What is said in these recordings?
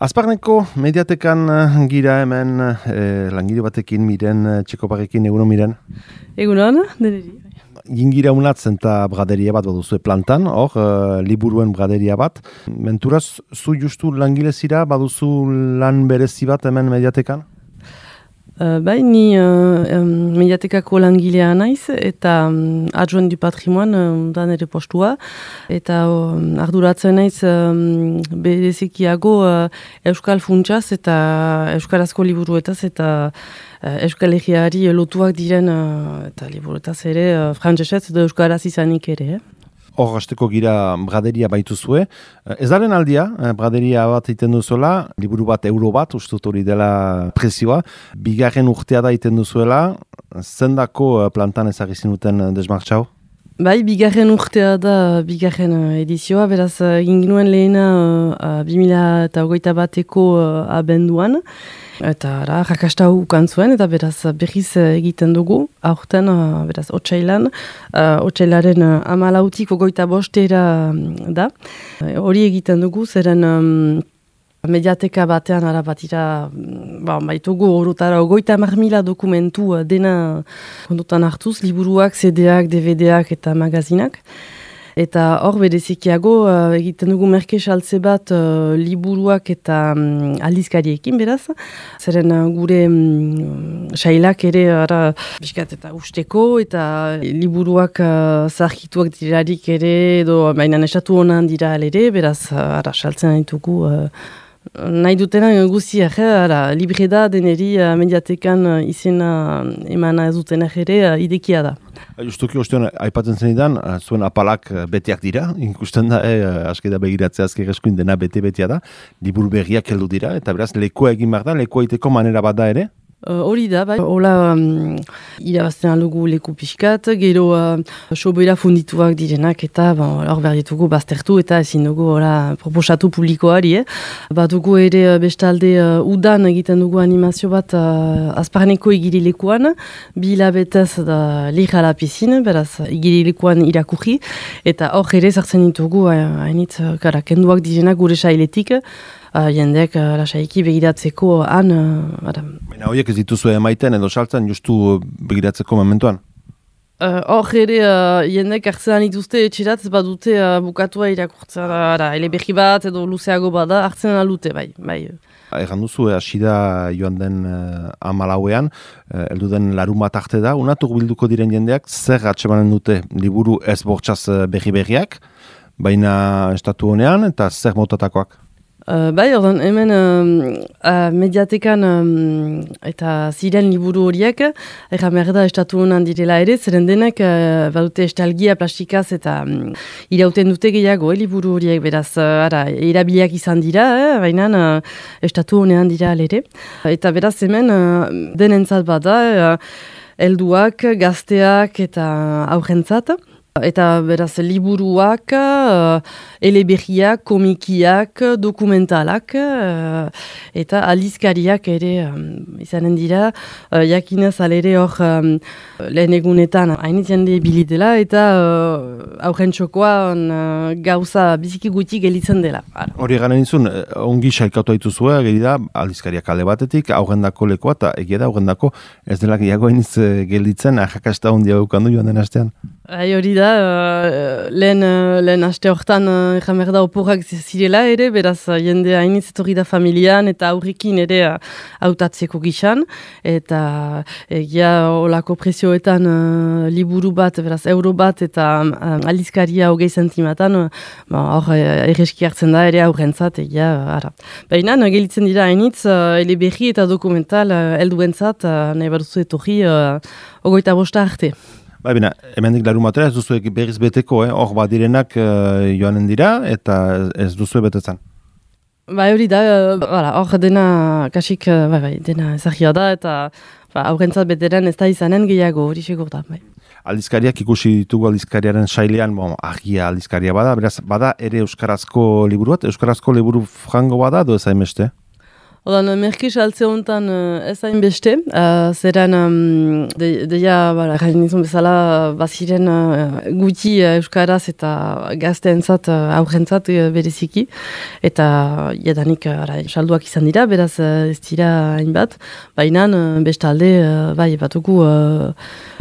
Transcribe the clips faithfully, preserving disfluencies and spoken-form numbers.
Azparneko mediatekan gira hemen eh, langile batekin miren eh, txekoparekin egunon miren? Egunon, deneri. Gingira unatzen eta braderia bat baduzue plantan, hor, uh, liburuen braderia bat. Menturaz, zu justu langile zira, baduzu lan berezi bat hemen mediatekan? Uh, bai, ni uh, um, mediatekako langilea naiz eta um, adjoint du patrimoine um, da nire postua. Eta um, arduratzen naiz um, berezikiago uh, Euskal Funtsaz eta Euskarazko liburuetaz eta uh, Euskal Herriari lotuak diren uh, eta liburuetaz ere uh, frantsesez edo Euskaraz izanik ere. Eh? Hor, hasteko gira braderia baituzue. Ez daren aldia, braderia bat iten duzuela, liburu bat euro bat, ustut hori dela prezioa. Bigarren urtea da iten duzuela, zendako plantan ezagizin duten desmartxau? Bai, bigarren urtea da bigarren edizioa, beraz egin ginuen lehena uh, bi mila hogeita bateko uh, abenduan. Eta ara, rakasta ukan zuen, eta beraz berriz egiten dugu, aurten, uh, beraz, otsailan, uh, otsailaren uh, amalautik ogoita bostera da. Hori egiten dugu, zeren um, mediateka batean ara batira, ba, baitugu horretara ogoita marmila dokumentu uh, dena kondutan hartuz, liburuak, C D-ak, D V D-ak eta magazinak. Eta hor berezikiago uh, egiten dugu merke saltze bat uh, liburuak eta um, aldizkariekin beraz. Zeren uh, gure um, sailak ere ara biskat eta usteko eta liburuak uh, zarkituak dirarik ere edo baina esatu honan dira ere beraz uh, ara saltzen ditugu uh, nahi dutena guziak, ara, libre da deneri uh, mediatekan uh, izena emana ez dutenak ere uh, idekia da. Justuki ostean, aipatzen zenidan, zuen apalak beteak dira, ikusten da, eh, askeda begiratzea azker eskuin dena bete-betea da, liburu berriak heldu dira, eta beraz, lekoa egin behar da, lekoa iteko manera bat da ere? Hori uh, da, bai. Hola um, irabazten alugu leku pixkat, gero uh, sobera fundituak direnak eta hor bon, behar ditugu baztertu eta ezin dugu hola, proposatu publikoari. Eh? Bat dugu ere bestalde uh, udan egiten dugu animazio bat uh, azparneko igirilekuan, bi hilabetez da lirra la piscine, beraz igirilekuan irakurri, eta hor ere zartzen ditugu hainitz uh, uh, kenduak direnak gure sailetik, Uh, jendeak uh, lasaiki begiratzeko han... Uh, Baina horiek ez dituzu emaiten edo saltzen justu begiratzeko momentuan? Hor uh, ere uh, jendeak hartzean dituzte etxerat, ez badute uh, bukatua irakurtzen, uh, eleberri bat edo luzeago bada hartzen alute, bai. bai. Egan duzu, hasi da joan den uh, amalauean, uh, eldu den larun bat arte da, unatuk bilduko diren jendeak, zer atsemanen dute liburu ez bortxaz berri-berriak, baina estatu honean eta zer motatakoak? Uh, bai, ordan, hemen um, uh, mediatekan um, eta ziren liburu horiek, erra merda estatu honan direla ere, zeren denek uh, badute estalgia plastikaz eta um, irauten dute gehiago, eh, liburu horiek beraz, uh, ara, erabiliak izan dira, eh, baina uh, estatu honean dira ere. Eta beraz hemen uh, denentzat bada, uh, helduak, gazteak eta aurrentzat. Eta beraz liburuak, uh, eleberriak, komikiak, dokumentalak uh, eta aldizkariak ere um, izanen dira. Uh, jakinez alere hor um, lehen egunetan hainit jende bilidela eta uh, aurren txokoan uh, gauza biziki guti gelitzen dela. Hori garen izun, ongi saikatu haituzua, geri da aldizkariak alde batetik, aurrendako lekoa eta egia da aurrendako ez dela gehiago hainitz gelditzen, ahakasta hondia eukandu joan den astean. Hai, hori da, uh, lehen, uh, lehen aste hortan uh, jamerda oporrak zirela ere, beraz uh, jende hainitz etorri da familian eta aurrekin ere hautatzeko uh, gixan, eta egia olako prezioetan uh, liburu bat, beraz euro bat eta uh, aldizkaria hogei zentimatan, hor uh, erreski hartzen da ere aurrentzat, egia, uh, ara. Baina, uh, gelitzen dira hainitz, uh, eleberri eta dokumental uh, helduentzat, uh, nahi baduzu etorri, uh, ogoita bosta arte. Ba, bina, hemendik larun batera ez duzu berriz beteko, eh? Hor badirenak uh, joanen dira eta ez duzu betetzen. Ba, hori da, hor dena, kasik, bai, bai, dena ezagia da eta ba, aurrentzat beteren ez da izanen gehiago, hori segur da. Bai. Aldizkariak ikusi ditugu aldizkariaren sailean, bon, argia aldizkaria bada, beraz, bada ere euskarazko liburu bat, euskarazko liburu frango bada, edo ez hainbeste? Odan, merke saltze honetan ez hain beste, uh, zeren um, de, deia, bara, garen izan bezala, baziren uh, guti uh, euskaraz eta gazteentzat, uh, aurrentzat uh, bereziki, eta jadanik uh, salduak izan dira, beraz uh, ez dira hainbat, baina uh, bestalde, uh, bai, batuku uh,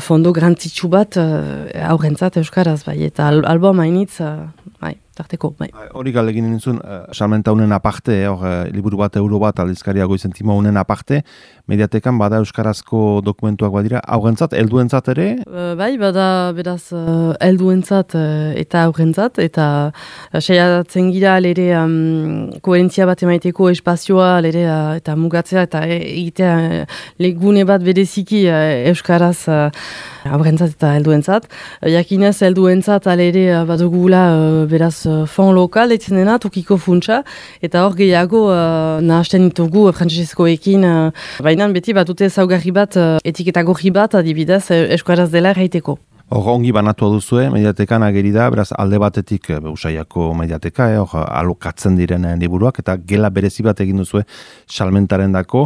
fondo grantzitsu bat uh, aurrentzat euskaraz, bai, eta al album hainitz, uh, bai. Tarteko, bai. Hori galdegin nintzun, uh, salmenta honen aparte, hor, uh, liburu bat, euro bat, aldizkaria goizentimo honen aparte, mediatekan bada euskarazko dokumentuak badira, aurrentzat, helduentzat ere? Uh, bai, bada beraz uh, helduentzat uh, eta aurrentzat, eta uh, saiatzen gira lere um, koherentzia bat emaiteko espazioa lere uh, eta mugatzea, eta egitea uh, legune bat bereziki uh, euskaraz uh, aurrentzat eta helduentzat. Uh, jakinez helduentzat alere uh, badugula uh, beraz fond lokal etzen dena, tokiko funtsa, eta hor gehiago uh, nahasten ditugu uh, frantsesezkoekin, uh, baina beti batute zaugarri bat, uh, etiketa gorri bat, adibidez, euskaraz dela erraiteko. Hor, ongi banatua duzue, mediatekan ageri da, beraz, alde batetik Usaiako mediateka, eh, hor, alokatzen diren liburuak, eta gela berezi bat egin duzue salmentaren dako,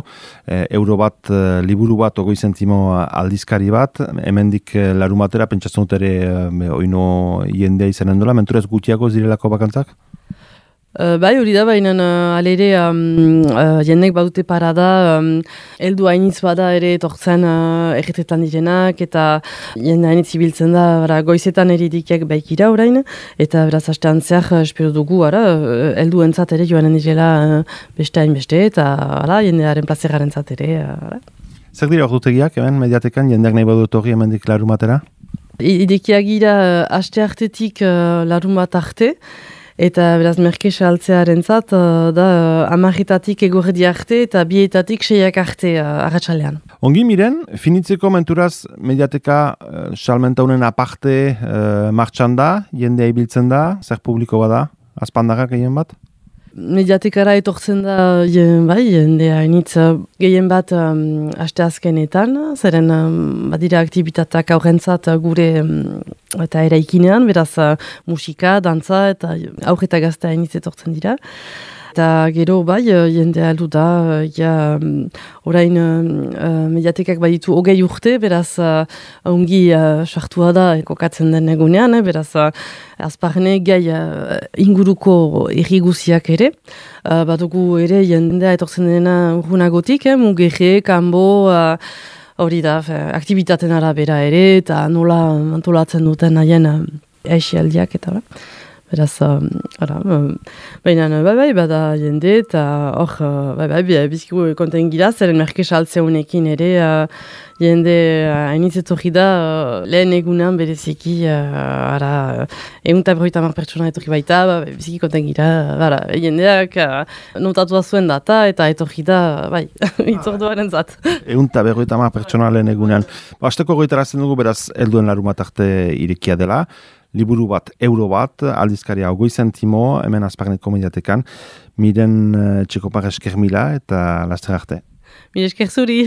eh, euro bat, eh, liburu bat, ogoi zentimo aldizkari bat, hemendik eh, larumatera, pentsatzen dut ere, eh, oino jendea izanen dola, menturez gutiago zirelako bakantzak? Uh, bai, hori da, baina uh, alere um, uh, jendek badute parada, um, eldu hainitz bada ere etortzen uh, erretetan direnak, eta jende hainitz ibiltzen da, bara, goizetan eridikek baikira orain, eta beraz hastean zehar, uh, espero dugu, ara, uh, eldu entzat ere joanen direla uh, beste hain beste, eta ara, jendearen plazeraren zat ere. Uh, Zer dira ordutegiak, hemen, mediatekan, jendeak nahi badut hori hemendik larumatera? Idekiak gira uh, haste hartetik uh, larumat arte, eta beraz merke saltzearen zat, uh, da uh, amarritatik egorredi arte eta bietatik seiak arte uh, arratsalean. Ongi miren, finitzeko menturaz mediateka uh, salmenta honen aparte uh, martxan da, jendea ibiltzen da, zer publiko bada, azpandagak egin bat? Mediatekara etortzen da, jen, bai, jendea hainitz gehien bat um, aste azkenetan, zeren um, badira aktibitateak aurrentzat gure um, eta eraikinean, beraz uh, musika, dantza eta aurre eta gazte hainitz etortzen dira. Eta gero bai, jendea heldu da, ja, um, orain uh, mediatekak baditu hogei urte, beraz uh, ongi uh, sartua da kokatzen den egunean, eh, beraz uh, azparne gai uh, inguruko erriguziak ere. Uh, badugu ere jendea etortzen dena urrunagotik, eh, mugerre, kanbo, uh, hori da, fe, aktibitaten arabera ere, eta nola antolatzen duten haien uh, aixialdiak eta ba. Beraz, um, ara, um, baina, bai, bai, bada jende, eta hor, uh, bai, bai, bizkigu konten gira, zeren merke saltze honekin ere, uh, jende hainitzetorri uh, da, uh, lehen egunean bereziki, uh, ara, egun eta berroita mar pertsona etorri baita, ba, biziki konten gira, bara, jendeak uh, notatu zuen data, eta etorri da, bai, itzorduaren zat. Egun eta berroita mar pertsona lehen egunean. Ba, azteko goitarazten dugu, beraz, helduen larumat arte irekia dela, liburu bat, euro bat, aldizkaria ogoi zentimo, hemen azparneko mediatekan, miren uh, txekopar esker mila eta laster arte. Mire esker zuri.